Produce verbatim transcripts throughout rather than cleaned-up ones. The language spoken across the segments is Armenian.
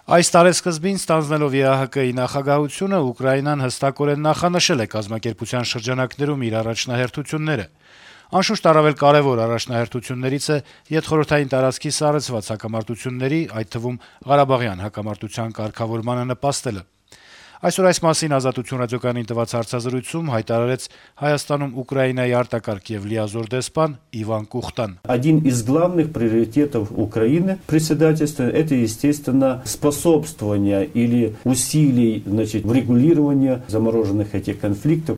Այս տարեսկզբին ստանձնելով Է Ա Հ Կ-ի նախագահությունը Ուկրաինան հստակորեն նախանշել է կազմակերպության շրջանակներում իր առաջնահերթությունները։ Անշուշտ առավել կարեւոր առաջնահերթություններից է ետխորհրդային տարածքի սառեցված հակամարտությունների, այդ թվում Ղարաբաղյան հակամարտության կարգավորմանը նպաստելը։ Այսօր այս մասին «Ազատություն» ռադիոկայանին տված հարցազրույցում հայտարարեց Հայաստանում Ուկրաինայի արտակարգ եւ լիազոր դեսպան Իվան Կուխտան. Один из главных приоритетов Украины председательства – это, естественно, способствование или усилий, значит, в регулировании замороженных этих конфликтов.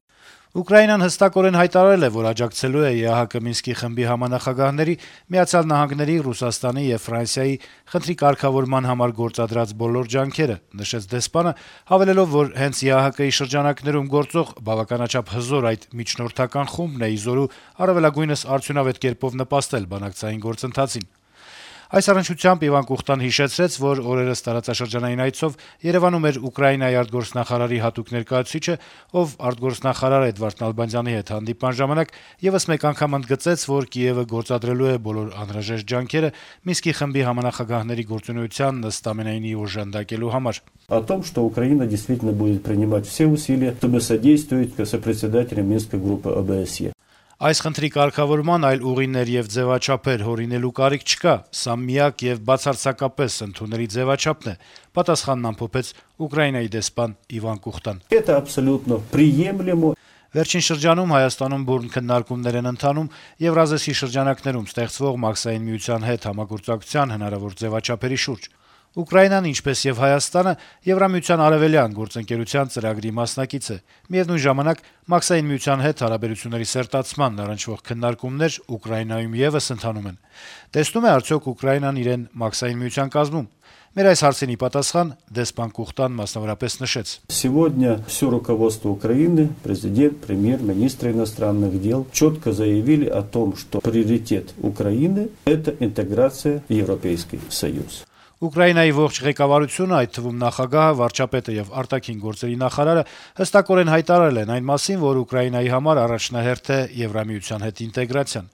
Ուկրաինան հստակորեն հայտարարել է, որ աջակցելու է Է Ա Հ Կ Մինսկի խմբի համանախագահների, Միացյալ Նահանգների, Ռուսաստանի եւ Ֆրանսիայի խնդրի կարգավորման համար գործադրած բոլոր ջանքերը, նշեց դեսպանը, հավելելով, որ հենց Է Ա Հ Կ-ի շրջանակներում գործող բավականաչափ հզոր այդ միջնորդական խումբն է իզորու առավելագույնս արդյունավետ կերպով նպաստել բանակցային գործընթացին։ Այս առնչությամբ Իվան Կուխտան հիշեցրեց, որ օրերս տարածաշրջանային այցով Երեւանում էր Ուկրաինայի արտգործնախարարի հատուկ ներկայացուցիչը, ով արտգործնախարար Էդվարդ Նալբանդյանի հետ հանդիպման ժամանակ եւս մեկ անգամ ընդգծեց, որ Կիևը գործադրելու է բոլոր անհրաժեշտ ջանքերը Մինսկի խմբի համանախագահների գործունեության ըստ ամենայնի օժանդակելու համար։ О том, что Украина действительно будет принимать все усилия, чтобы содействовать сопредседателям Минской группы О Бэ Эс Е. Այս խնդրի կարգավորման այլ ուղիներ եւ ձեւաչափեր հորինելու կարիք չկա, սա միակ եւ բացարձակապես ընդունելի ձեւաչափն է, պատասխանն ամփոփեց Ուկրաինայի դեսպան Իվան Կուխտան։ Это абсолютно приемлемо. Վերջին շրջանում Հայաստանում բուրն քննարկումներ են ընթանում Եվրազեսի շրջանակներում ստեղծվող Մաքսային միության հետ համագործակցության հնարավոր ձեւաչափերի շուրջ։ Ուկրաինան, ինչպես եւ Հայաստանը, Եվրամիության արևելյան գործընկերության ծրագրի մասնակից է։ Միևնույն ժամանակ Մաքսային միության հետ հարաբերությունների սերտացման առնչվող քննարկումներ Ուկրաինայում եւս ընթանում են։ Տեսնում է արդյոք Ուկրաինան իրեն Մաքսային միության կազմում։ Մեր այս հարցին ի պատասխան դեսպան Կուխտան մասնավորապես նշեց. Сегодня все руководство Украины, президент, премьер-министр иностранных дел четко заявили о том, что приоритет Украины – это интеграция в Европейский Союз. Ուկրաինայի ողջ ղեկավարությունը, այդ թվում նախագահը, վարչապետը եւ արտաքին գործերի նախարարը հստակորեն հայտարարել են այն մասին, որ Ուկրաինայի համար առաջնահերթ է Եվրամիության հետ ինտեգրացիան։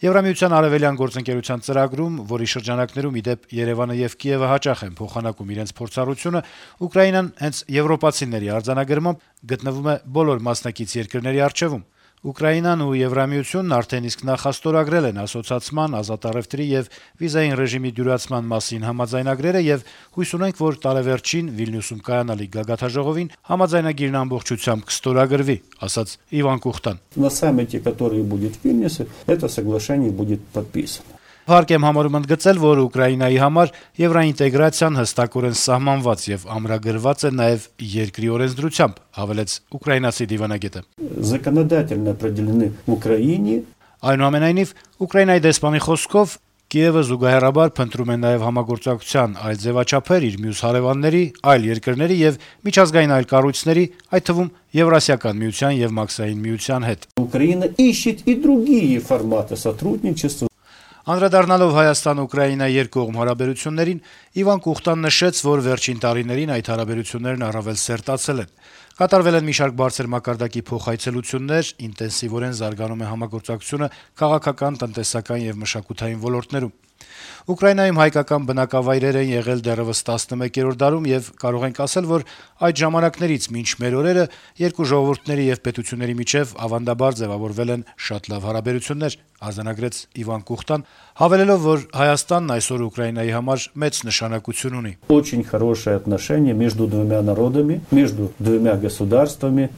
Եվրամիության արևելյան գործընկերության ծրագրում, որի շրջանակներում ի դեպ Երևանը եւ Կիևը հաճախ են փոխանակում իրենց փորձառությունը, Ուկրաինան հենց եվրոպացիների արձանագրմամբ գտնվում է բոլոր մասնակից երկրների առջեվում։ Ուկրաինան ու Եվրամիությունն արդեն իսկ նախաստորագրել են ասոցացման, ազատ առևտրի եւ վիզային ռեժիմի դյուրացման մասին համաձայնագրերը եւ հույս ունենք, որ տարեվերջին Վիլնյուսում կայանալիք գագաթաժողովին համաձայնագիրն ամբողջությամբ կստորագրվի, ասաց Իվան Կուխտան։ На саммите, который будет в Вильнюсе, это соглашение будет подписано. Հարկ եմ համարում ընդգծել, որ Ուկրաինայի համար եվրոինտեգրացիան հստակորեն սահմանված եւ ամրագրված է նաեւ երկրի օրենսդրությամբ, հավելեց ուկրաինացի դիվանագետը։ Законодательно определены в Украине. Այնուամենայնիվ, Ուկրաինայի դեսպանի խոսքով Կիևը զուգահեռաբար փնտրում է նաեւ համագործակցության այլ ձևաչափեր իր մյուս հարևանների, այլ երկրների եւ միջազգային այլ կառույցների, այդ թվում Եվրասիական միության եւ Մաքսային միության հետ։ Украина ищет и другие форматы сотрудничества. Անդրադառնալով Հայաստան-Ուկրաինա երկկողմ հարաբերություններին, Իվան Կուխտան նշեց, որ վերջին տարիներին այդ հարաբերություններն առավել սերտացել են։ Կատարվել են մի շարք բարձր մակարդակի փոխայցելություններ, ինտենսիվորեն զարգանում է համագործակցությունը քաղաքական, տնտեսական եւ մշակութային ոլորտներում։ Ուկրաինայում հայկական բնակավայրեր են եղել դեռևս տասնմեկերորդ դարում եւ կարող ենք ասել, որ այդ ժամանակներից մինչ մեր օրերը երկու ժողովուրդների եւ պետությունների միջեւ ավանդաբար ձեւավորվել են շատ լավ հարաբերություններ, արձանագրեց Իվան Կուխտան, հավելելով, որ Հայաստանն այսօր Ուկրաինայի համար մեծ նշանակություն ունի։ Очень хорошие отношения между двумя народами, между двумя государствами.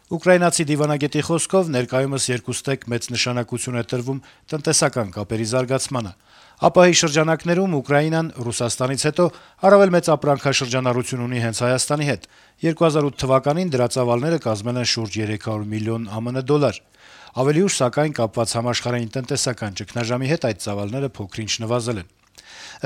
Ուկրաինացի դիվանագետի խոսքով ներկայումս երկուստեք մեծ նշանակություն է տրվում տնտեսական կապերի զարգացմանը։ Ապահի շրջանակներում Ուկրաինան Ռուսաստանից հետո առավել մեծ ապրանքաշրջանառություն ունի հենց Հայաստանի հետ։ երկու հազար ութ թվականին դրա ծավալները կազմել են շուրջ երեք հարյուր միլիոն Ամն դոլար։ Ավելի ուշ, սակայն, կապված համաշխարհային տնտեսական ճգնաժամի հետ այդ ծավալները փոքր-ինչ նվազել են։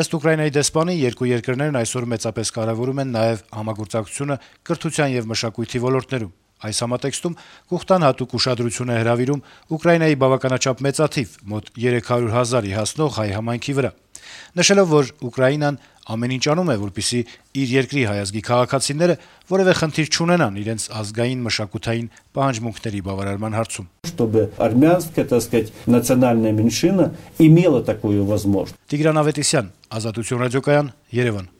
Ըստ Ուկրաինայի դեսպանի, երկու երկրներն այսօր մեծապես կարևորում են նաեւ համագործակցությունը կրթության եւ մշակույթի ոլորտներում։ Այս համատեքստում Կուխտան հատուկ ուշադրություն է հրավիրում Ուկրաինայի բավականաչափ մեծաթիվ, մոտ երեք հարյուր հազարի հասնող հայ համայնքի վրա, նշելով, որ Ուկրաինան ամեն ինչ անում է, որպեսզի իր երկրի հայազգի քաղաքացիները որևէ խնդիր չունենան իրենց ազգային մշակութային պահանջմունքների բավարարման հարցում։ Чтобы армянская, так сказать, национальная меньшина имела такую возможность. Տիգրան Ավետիսյան, Ազատություն ռադիոկայան, Երևան։